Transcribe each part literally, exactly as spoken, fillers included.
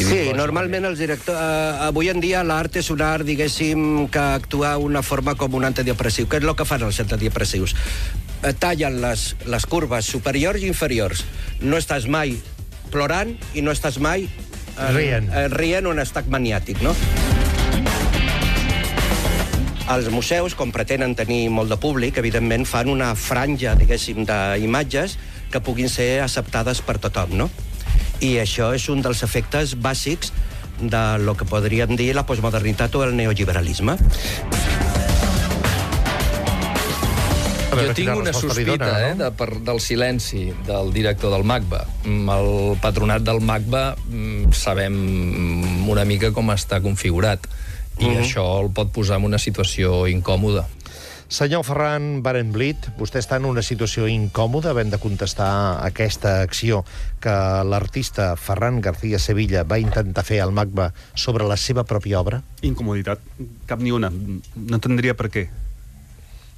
Sí, normalment els directors... Uh, avui en dia l'art és un art, diguéssim, que actua una forma com un antidepressiu. Què és el que fan els antidepressius? Uh, tallen les, les curves superiors i inferiors. No estàs mai plorant i no estàs mai uh, rient. Uh, rient un estat maniàtic, no? Els museus, com pretenen tenir molt de públic, evidentment fan una franja, diguéssim, d'imatges que puguin ser acceptades per tothom, no? I això és un dels efectes bàsics de lo que podríem dir la postmodernitat o el neoliberalisme. Jo tinc una sospita eh, de, per, del silenci del director del MACBA. El patronat del MACBA sabem una mica com està configurat. I mm. això el pot posar en una situació incòmoda. Senyor Ferran Barenblit, vostè està en una situació incòmoda havent de contestar aquesta acció que l'artista Ferran García Sevilla va intentar fer al MACBA sobre la seva pròpia obra? Incomoditat. Cap ni una. No entendria per què.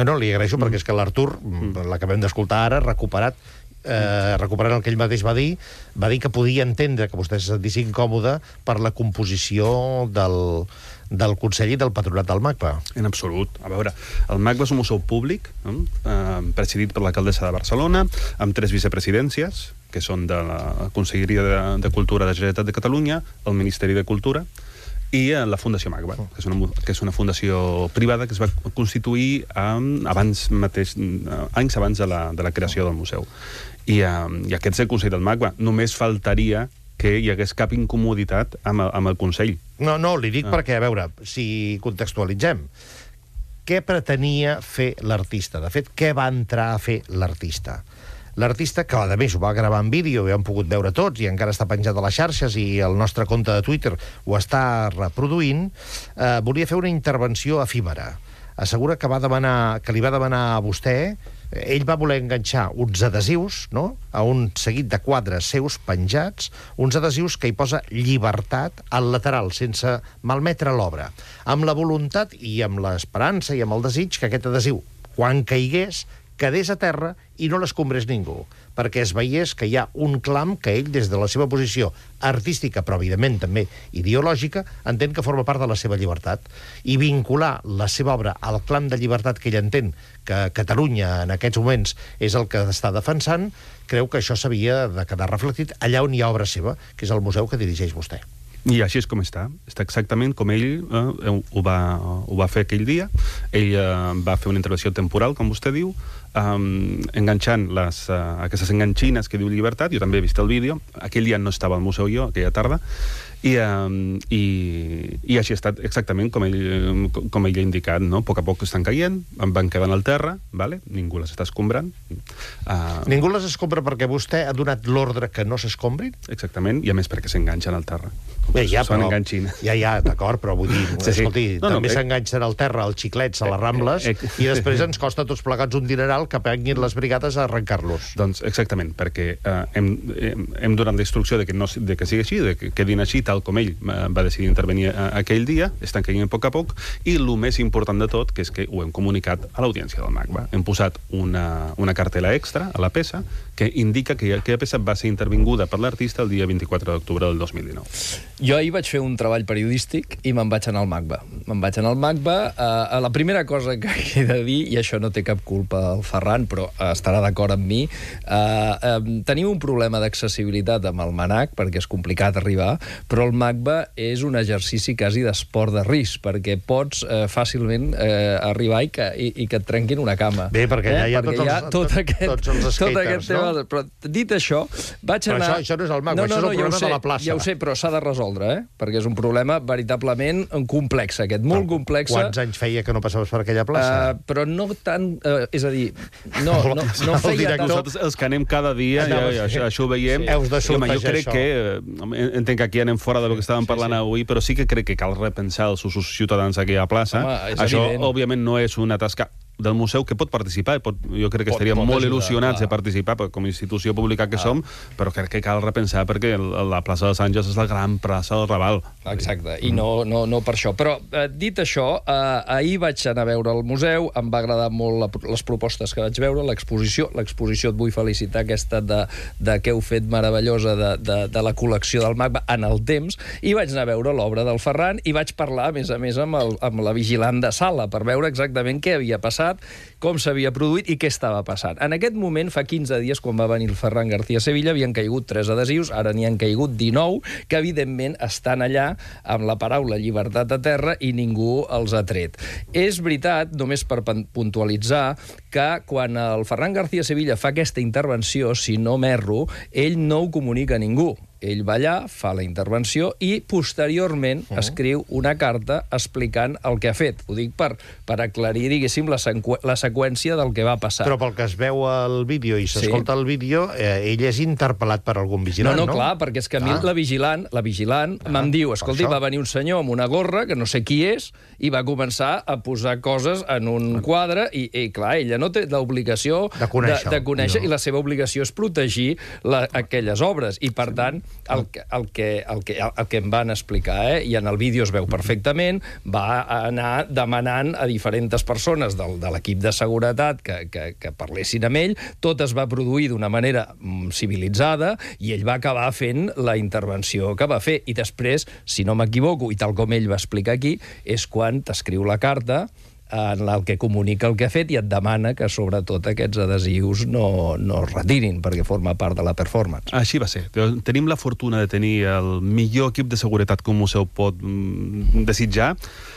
No, no, li agraeixo, mm. perquè és que l'Artur, mm. l'acabem d'escoltar ara, recuperat, eh, recuperant el que ell mateix va dir, va dir que podia entendre que vostè se sentís incòmode per la composició del... del Consell i del Patronat del MACBA. En absolut. A veure, el MACBA és un museu públic, eh, presidit per l'alcaldessa de Barcelona, amb tres vicepresidències, que són de la Conselleria de, de Cultura de la Generalitat de Catalunya, el Ministeri de Cultura, i la Fundació MACBA, que és una, que és una fundació privada que es va constituir um, abans mateix, uh, anys abans de la, de la creació del museu. I, um, i aquest és el Consell del MACBA. Només faltaria que hi hagués cap incomoditat amb el, amb el Consell. No, no, li dic ah. perquè, a veure, si contextualitzem, què pretenia fer l'artista? De fet, què va entrar a fer l'artista? L'artista, que a més ho va gravar en vídeo i ho hem pogut veure tots i encara està penjat a les xarxes i el nostre compte de Twitter ho està reproduint, eh, volia fer una intervenció efímera. Assegura que, va demanar, que li va demanar a vostè, ell va voler enganxar uns adhesius, no?, a un seguit de quadres seus penjats, uns adhesius que hi posa llibertat al lateral, sense malmetre l'obra, amb la voluntat i amb l'esperança i amb el desig que aquest adhesiu, quan caigués, quedés a terra i no l'escombrés ningú, perquè es veiés que hi ha un clam que ell, des de la seva posició artística, però evidentment també ideològica, entén que forma part de la seva llibertat. I vincular la seva obra al clam de llibertat que ell entén que Catalunya en aquests moments és el que està defensant, creu que això s'havia de quedar reflectit allà on hi ha obra seva, que és el museu que dirigeix vostè. I així és com està. Està exactament com ell eh, ho, va, ho va fer aquell dia. Ell eh, va fer una intervenció temporal, com vostè diu, eh, enganxant les, eh, aquestes enganxines que diu llibertat. Jo també he vist el vídeo. Aquell dia no estava al museu jo, aquella tarda. I, um, i, i així ha estat exactament com ell, com ell ha indicat, no? A poc a poc estan caient, van quedant al terra, vale? Ningú les està escombrant. Uh... Ningú les escombra perquè vostè ha donat l'ordre que no s'escombrin? Exactament, i a més perquè s'enganxen al terra. Bé, ja, Són però, enganxines. ja, ja, d'acord, però vull dir, sí, sí. escolti, no, no, també eh... s'enganxen al terra els xiclets a les Rambles eh, eh, i després ens costa tots plegats un dineral que venguin les brigades a arrencar-los. Doncs exactament, perquè eh, hem, hem, hem donat la instrucció de que, no, de que sigui així, de que quedin així, tal com ell va decidir intervenir aquell dia, estan caient a poc a poc, i el més important de tot, que és que ho hem comunicat a l'audiència del MACBA. Hem posat una, una cartela extra a la peça que indica que aquella peça va ser intervinguda per l'artista el dia vint-i-quatre d'octubre del dos mil dinou. Jo ahir vaig fer un treball periodístic i me'n vaig anar al MACBA. Me'n vaig anar al MACBA. Eh, la primera cosa que he de dir, i això no té cap culpa el Ferran, però estarà d'acord amb mi, eh, eh, tenim un problema d'accessibilitat amb el MANAC, perquè és complicat arribar, però el MACBA és un exercici quasi d'esport de risc, perquè pots eh, fàcilment eh, arribar i que, i, i que et trenquin una cama. Bé, perquè eh? ja hi ha, perquè tots, hi ha els, tot aquest, tots els skaters, tot aquest tema, no? Però dit això, vaig però anar... Això, això no és el MACBA, no, no, això és el no, problema sé, de la plaça. Ja ho sé, però s'ha de resoldre, eh? Perquè és un problema veritablement complex, aquest, molt però, complex. Quants anys feia que no passaves per aquella plaça? Uh, però no tant... Uh, és a dir, no, no, no feia tant... Nosaltres els que anem cada dia, ja, ja, això, això ho veiem. Heus de sortejar jo crec això. que... Entenc que aquí anem fora del que estàvem parlant sí, sí. avui, però sí que crec que cal repensar els usos ciutadans d'aquella plaça. Home, això, evident. òbviament, no és una tasca del museu que pot participar, pot, jo crec que Pot- estaríem pot molt ajudar, il·lusionats clar. de participar com a institució pública que som, però crec que cal repensar perquè el- la plaça dels Àngels és la gran plaça del Raval. Exacte, i no, no, no per això. Però, eh, dit això, eh, ahir vaig anar a veure el museu, em va agradar molt la, les propostes que vaig veure, l'exposició. L'exposició, et vull felicitar, aquesta de, de que heu fet meravellosa de, de, de la col·lecció del MACBA en el temps, i vaig anar a veure l'obra del Ferran, i vaig parlar, a més a més, amb, el, amb la vigilant de sala, per veure exactament què havia passat, com s'havia produït i què estava passant. En aquest moment, fa quinze dies, quan va venir el Ferran García Sevilla, havien caigut tres adhesius, ara n'hi han caigut dinou, que evidentment estan allà amb la paraula llibertat a terra i ningú els ha tret. És veritat, només per puntualitzar, que quan el Ferran García Sevilla fa aquesta intervenció, si no m'erro, ell no ho comunica a ningú. Ell va allà, fa la intervenció i posteriorment uh-huh. escriu una carta explicant el que ha fet. Ho dic per, per aclarir, diguéssim, la, sequ la seqüència del que va passar. Però pel que es veu al vídeo i s'escolta sí. el vídeo, eh, ell és interpel·lat per algun vigilant, no? No, no, clar, perquè és que a mi ah. la vigilant, la vigilant ah, me'n diu, escolti, va venir un senyor amb una gorra, que no sé qui és, i va començar a posar coses en un quadre, i, i clar, ella no té l'obligació de conèixer, de, de conèixer no. i la seva obligació és protegir la, aquelles obres, i per tant, el que, el que, el que, el que em van explicar, eh, i en el vídeo es veu perfectament, va anar demanant a diferents persones del, de l'equip de seguretat que, que, que parlessin amb ell, tot es va produir d'una manera mm, civilitzada, i ell va acabar fent la intervenció que va fer, i després, si no m'equivoco, i tal com ell va explicar aquí, és quan t'escriu la carta en el que comunica el que ha fet i et demana que, sobretot, aquests adhesius no, no es retirin, perquè forma part de la performance. Així va ser. Tenim la fortuna de tenir el millor equip de seguretat que un museu pot mm, desitjar,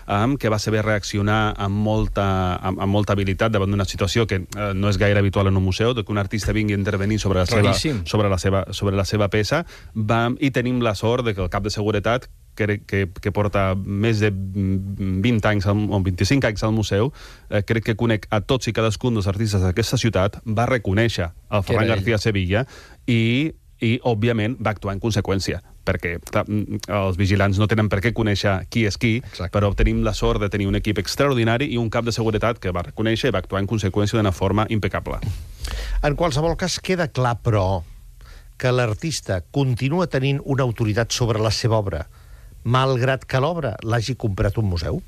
um, que va saber reaccionar amb molta, amb, amb molta habilitat davant d'una situació que uh, no és gaire habitual en un museu, que un artista vingui a intervenir sobre la seva, sobre la seva, sobre la seva peça, va, i tenim la sort de que el cap de seguretat, que, que, que porta més de vint anys o vint-i-cinc anys al museu, eh, crec que conec a tots i cadascun dels artistes d'aquesta ciutat, va reconèixer el Ferran García Sevilla i, i, òbviament, va actuar en conseqüència, perquè clar, els vigilants no tenen per què conèixer qui és qui, Exacte. Però tenim la sort de tenir un equip extraordinari i un cap de seguretat que va reconèixer i va actuar en conseqüència d'una forma impecable. En qualsevol cas, queda clar, però, que l'artista continua tenint una autoritat sobre la seva obra, malgrat que l'obra l'hagi comprat un museu?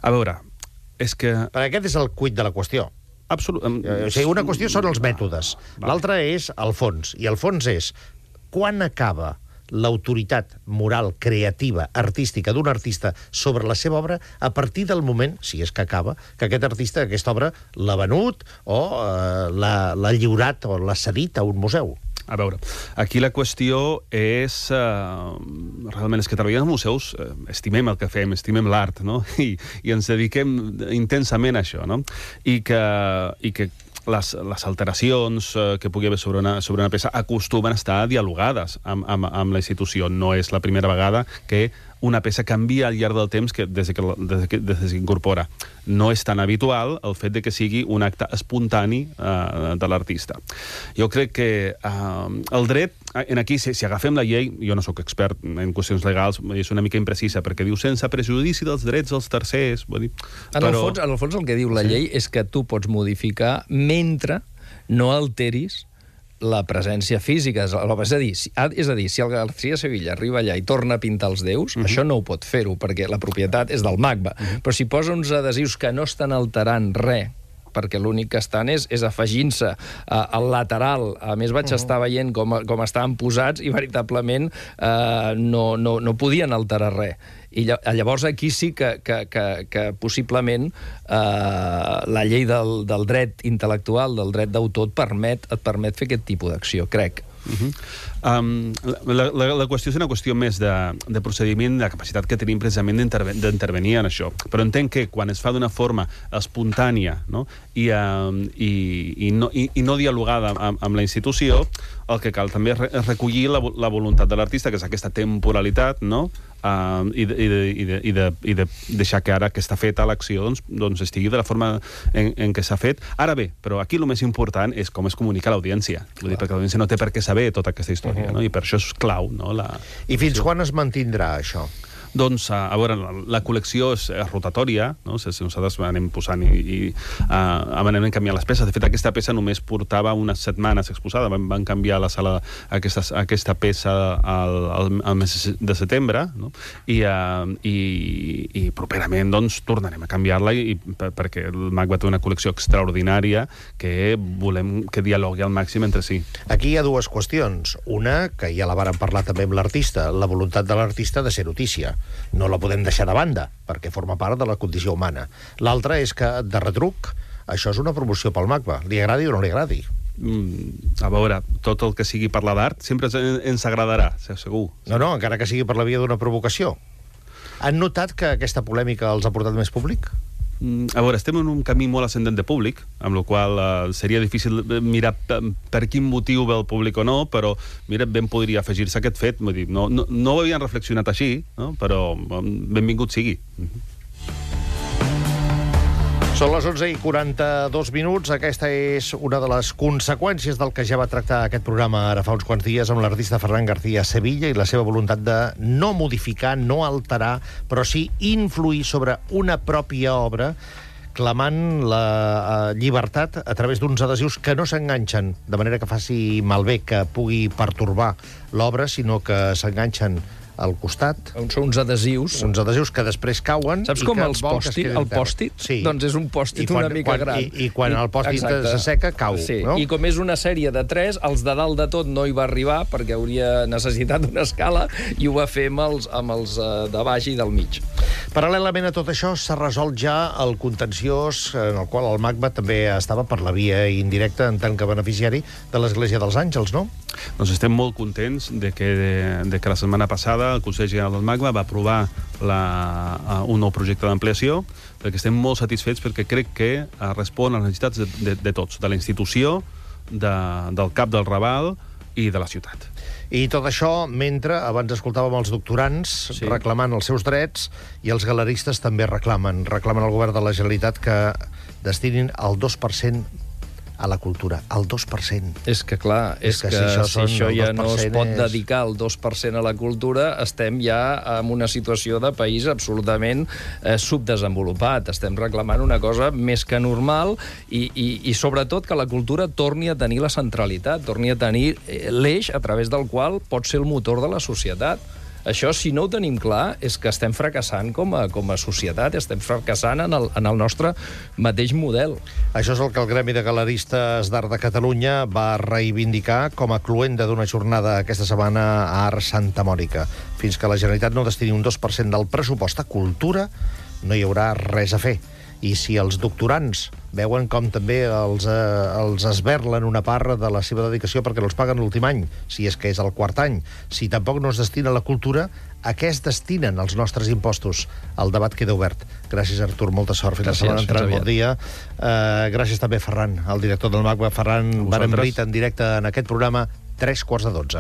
A veure, és que... Perquè aquest és el quid de la qüestió. Absolut... O sigui, una qüestió són els mètodes, l'altra és el fons, i el fons és quan acaba l'autoritat moral, creativa, artística d'un artista sobre la seva obra a partir del moment, si és que acaba, que aquest artista, aquesta obra, l'ha venut o eh, l'ha lliurat o l'ha cedit a un museu. A veure, aquí la qüestió és... Eh, realment, és que treballem als museus, eh, estimem el que fem, estimem l'art, no? I, i ens dediquem intensament a això, no? I que, i que les, les alteracions eh, que pugui haver sobre una, sobre una peça acostumen a estar dialogades amb, amb, amb la institució. No és la primera vegada que una peça canvia al llarg del temps que, des, que, des, que, des que s'incorpora. No és tan habitual el fet de que sigui un acte espontani eh, de l'artista. Jo crec que eh, el dret, en aquí, si, si agafem la llei, jo no sóc expert en qüestions legals, és una mica imprecisa, perquè diu sense prejudici dels drets dels tercers. Vull dir, en, però... el fons, en el fons el que diu la sí. llei és que tu pots modificar mentre no alteris la presència física. És a dir, si, és a dir, si el García Sevilla arriba allà i torna a pintar els déus, uh-huh. això no ho pot fer-ho, perquè la propietat és del MACBA. Uh-huh. Però si posa uns adhesius que no estan alterant res, perquè l'únic que estan és, és afegint-se uh, al lateral. A més, vaig uh-huh. estar veient com, com estaven posats i veritablement uh, no, no, no podien alterar res. I llavors aquí sí que, que, que, que possiblement eh, la llei del, del dret intel·lectual, del dret d'autor, et permet, et permet fer aquest tipus d'acció, crec. Uh-huh. um, la, la, la qüestió és una qüestió més de, de procediment, de capacitat que tenim precisament d'intervenir en això. Però entenc que quan es fa d'una forma espontània, no? I, um, i, i, no, i, i no dialogada amb, amb la institució, el que cal també és recollir la, la voluntat de l'artista, que és aquesta temporalitat, no? Uh, i, de, i, de, i, de, i, de, i de deixar que ara que està feta l'acció doncs, doncs estigui de la forma en, en què s'ha fet. Ara bé, però aquí el més important és com es comunica a l'audiència. Vull dir, perquè l'audiència no té per què saber tota aquesta història, uh-huh. no? I per això és clau, no? La... I fins quan es mantindrà això? Doncs, a, a veure, la, la col·lecció és, és rotatòria, no? Si nosaltres anem posant i, i uh, anem canviant les peces. De fet, aquesta peça només portava unes setmanes exposada. Van, van canviar la sala aquesta, aquesta peça al, al, al mes de setembre, no? I, uh, i, i properament doncs, tornarem a canviar-la i, per, perquè el MACBA té una col·lecció extraordinària que volem que dialogui al màxim entre si. Aquí hi ha dues qüestions. Una, que ja la vàrem parlar també amb l'artista, la voluntat de l'artista de ser notícia. No la podem deixar de banda, perquè forma part de la condició humana. L'altra és que, de retruc, això és una promoció pel MACBA. Li agradi o no li agradi? Mm, a veure, tot el que sigui parlar d'art sempre ens agradarà, segur. No, no, encara que sigui per la via d'una provocació. Han notat que aquesta polèmica els ha portat més públic? A veure, estem en un camí molt ascendent de públic, amb la qual eh, seria difícil mirar per quin motiu ve el públic o no, però mira, ben podria afegir-se aquest fet. Vull dir, no, no, no ho havien reflexionat així, no? Però benvingut sigui. Són les onze i quaranta-dos minuts. Aquesta és una de les conseqüències del que ja va tractar aquest programa ara fa uns quants dies amb l'artista Ferran García Sevilla i la seva voluntat de no modificar, no alterar, però sí influir sobre una pròpia obra, clamant la uh, llibertat a través d'uns adhesius que no s'enganxen de manera que faci malbé, que pugui pertorbar l'obra, sinó que s'enganxen al costat. Són uns adhesius. Uns adhesius que després cauen. Saps i com que els vol que es pòstit? quedin El terra. pòstit? Sí. Doncs és un pòstit quan, una mica quan, gran. I, i quan el pòstit Exacte. s'asseca, cau. Sí. No? I com és una sèrie de tres, els de dalt de tot no hi va arribar perquè hauria necessitat una escala i ho va fer amb els, amb els uh, de baix i del mig. Paral·lelament a tot això, s'ha resolt ja el contenciós en el qual el MACBA també estava per la via indirecta en tant que beneficiari de l'Església dels Àngels, no? Doncs estem molt contents de que, de, de que la setmana passada el Consell General del MACBA va aprovar la, un nou projecte d'ampliació, perquè estem molt satisfets perquè crec que respon a les necessitats de, de, de tots, de la institució, de, del cap del Raval i de la ciutat. I tot això mentre, abans escoltàvem els doctorants sí. reclamant els seus drets i els galeristes també reclamen, reclamen al govern de la Generalitat que destinin el dos per cent a la cultura, al dos per cent. És que, clar, és, és que, que si això, si això ja no es pot és... dedicar el dos per cent a la cultura, estem ja en una situació de país absolutament eh, subdesenvolupat. Estem reclamant una cosa més que normal i, i, i sobretot que la cultura torni a tenir la centralitat, torni a tenir l'eix a través del qual pot ser el motor de la societat. Això, si no ho tenim clar, és que estem fracassant com a, com a societat, estem fracassant en el, en el nostre mateix model. Això és el que el Gremi de Galeristes d'Art de Catalunya va reivindicar com a cloenda d'una jornada aquesta setmana a Art Santa Mònica. Fins que la Generalitat no destini un dos per cent del pressupost a cultura, no hi haurà res a fer. I si els doctorants veuen com també els, eh, els esberlen una part de la seva dedicació perquè no els paguen l'últim any, si és que és el quart any, si tampoc no es destina a la cultura, a què es destinen els nostres impostos? El debat queda obert. Gràcies, Artur, molta sort. Fins la setmana entrant, bon dia. Uh, gràcies també, Ferran, el director del MACBA. Ferran Berenbrit, en directe en aquest programa, tres quarts de dotze.